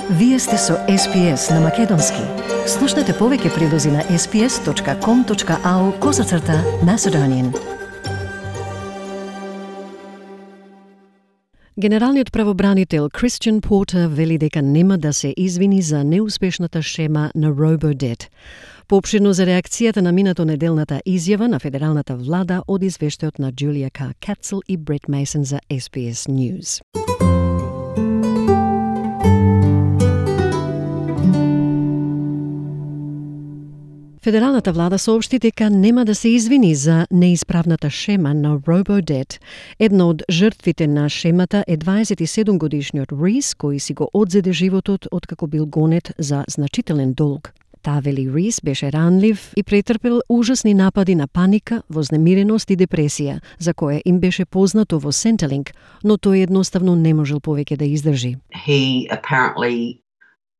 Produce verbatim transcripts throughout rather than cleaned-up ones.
Вие сте со Ес Би Ес на Македонски. Слушнете повеќе прилози на ес би ес точка ком точка ау козацрта Macedonian. Генералниот правобранител Кристијан Портер вели дека нема да се извини за неуспешната шема на RoboDebt. Поопширно за реакцијата на минато неделната изјава на федералната влада од извештајот на Джулија Кар Кацел и Брет Мейсон за Ес Би Ес News. Федералната влада соопшти дека нема да се извини за неисправната шема на RoboDebt. Една од жртвите на шемата е дваесет и седум годишниот Рис, кој си го одзеде животот откако бил гонет за значителен долг. Таа вели Рис беше ранлив и претрпел ужасни напади на паника, вознемиреност и депресија, за која им беше познато во Centrelink, но тој едноставно не можел повеќе да издржи. He apparently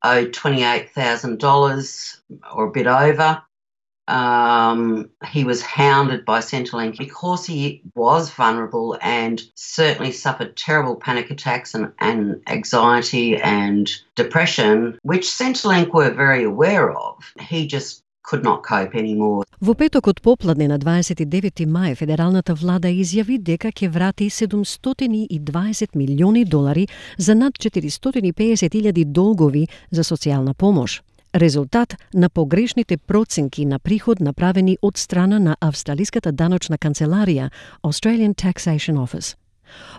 owed twenty-eight thousand dollars or a bit over. Um, he was hounded by Centrelink because he was vulnerable and certainly suffered terrible panic attacks and, and anxiety and depression, which Centrelink were very aware of. He just could not cope anymore. Во петокот попладне на дваесет и девети мај федералната влада изјави дека ќе врати седумстотини и дваесет милиони долари за над четиристотини и песет илјади долгови за социјална помош. Резултат на погрешните проценки на приход направени од страна на австралиската даночна канцеларија Australian Taxation Office.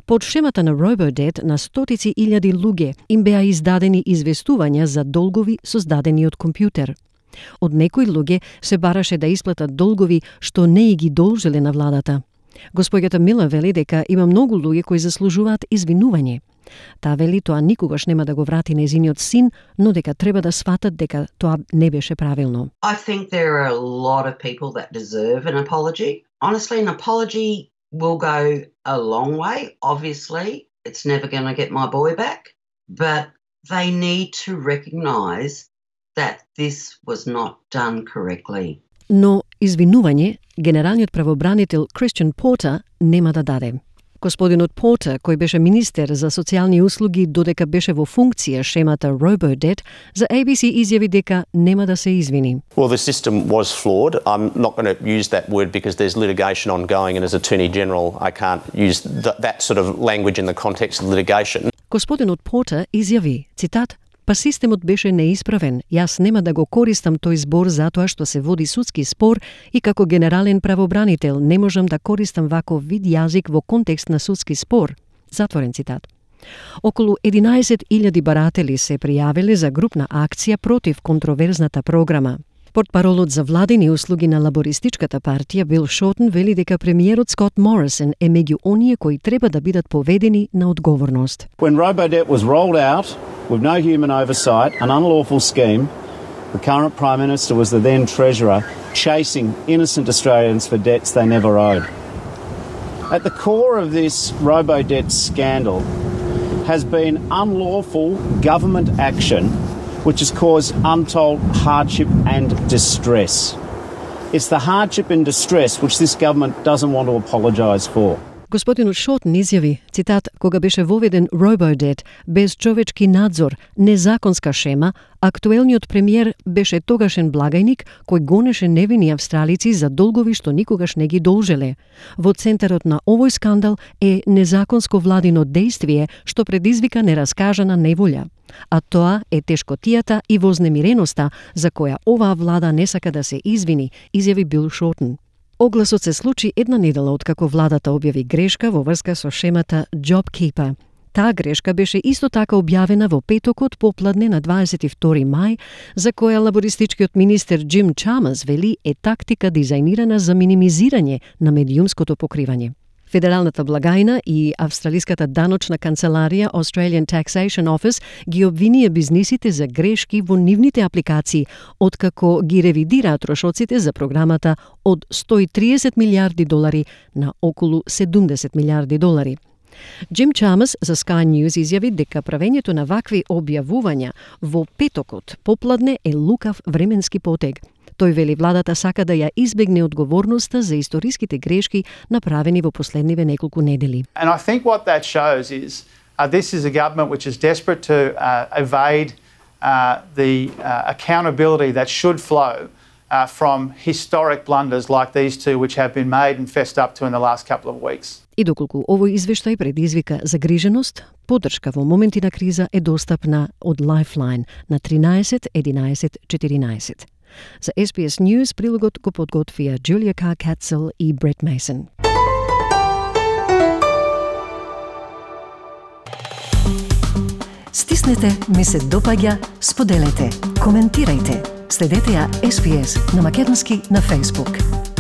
Под шемата на RoboDebt на стотици илјади луѓе им беа издадени известувања за долгови создадени од компјутер. Од некои луѓе се бараше да исплатат долгови што не и ги должеле на владата. Господјата Мила вели дека има многу луѓе кои заслужуваат извинување. Таа вели тоа никогаш нема да го врати нејзиниот син, но дека треба да сватат дека тоа не беше правилно. I think there are a lot of people that deserve an apology. Honestly, an apology will go a long way. Obviously, it's never going to get my boy back, but they need to recognise that this was not done correctly. Но извинување генералниот правобранител Кристијан Портер нема да даде. Господинот Портер, кој беше министер за социјални услуги додека беше во функција шемата RoboDebt, за A B C изјави дека нема да се извини. Well, the system was flawed. I'm not going to use that word because there's litigation ongoing and as Attorney General I can't use th- that sort of language in the context of litigation. Господинот Портер изјави, цитат, Па системот беше неисправен, јас нема да го користам тој збор затоа што се води судски спор и како генерален правобранител не можам да користам ваков вид јазик во контекст на судски спор. Затворен цитат. Околу единаесет илјади баратели се пријавиле за групна акција против контроверзната програма. Портпаролот за владини услуги на лабористичката партија Бил Шортен вели дека премиерот Скот Морисон е меѓу оние кои треба да бидат поведени на одговорност. When RoboDebt was rolled out with no human oversight, an unlawful scheme, the current Prime Minister was the then Treasurer chasing innocent Australians for debts they never owed. At the core of this RoboDebt scandal has been unlawful government action which has caused untold hardship and distress. It's the hardship and distress which this government doesn't want to apologise for. Господинот Шортен изјави, цитат, кога беше воведен RoboDebt без човечки надзор, незаконска шема, актуелниот премиер беше тогашен благајник кој гонеше невини австралици за долгови што никогаш не ги должеле. Во центарот на овој скандал е незаконско владино дејствие што предизвика нераскажана неволја. А тоа е тешкотијата и вознемиреноста за која оваа влада не сака да се извини, изјави Бил Шортен. Огласот се случи една недела откако владата објави грешка во врска со шемата JobKeeper. Таа грешка беше исто така објавена во петокот попладне на дваесет и втори мај, за која лабористичкиот министер Джим Чамерс вели е тактика дизајнирана за минимизирање на медиумското покривање. Федералната благајна и австралиската даночна канцеларија Australian Taxation Office ги обвинија бизнисите за грешки во нивните апликации, откако ги ревидираат трошоците за програмата од сто и триесет милијарди долари на околу седумдесет милијарди долари. Джим Чамерс за Sky News изјави дека правењето на вакви објавувања во петокот попладне е лукав временски потег. Тој вели владата сака да ја избегне одговорноста за историските грешки направени во последниве неколку недели. And I think what that shows is uh, this is a government which is desperate to uh, evade uh, the uh, accountability that should flow uh, from historic blunders like these two which have been made and fessed up to in the last couple of weeks. И доколку овој извештај предизвика загриженост, поддршка во моменти на криза е достапна од Lifeline на тринаесет единаесет четиринаесет. За Ес Би Ес News прилогот го подготвија Джулија Кар Кацел и Брет Мейсон. Стиснете, ми се допаѓа, споделете, коментирајте. Следете ја Ес Би Ес на македонски на Facebook.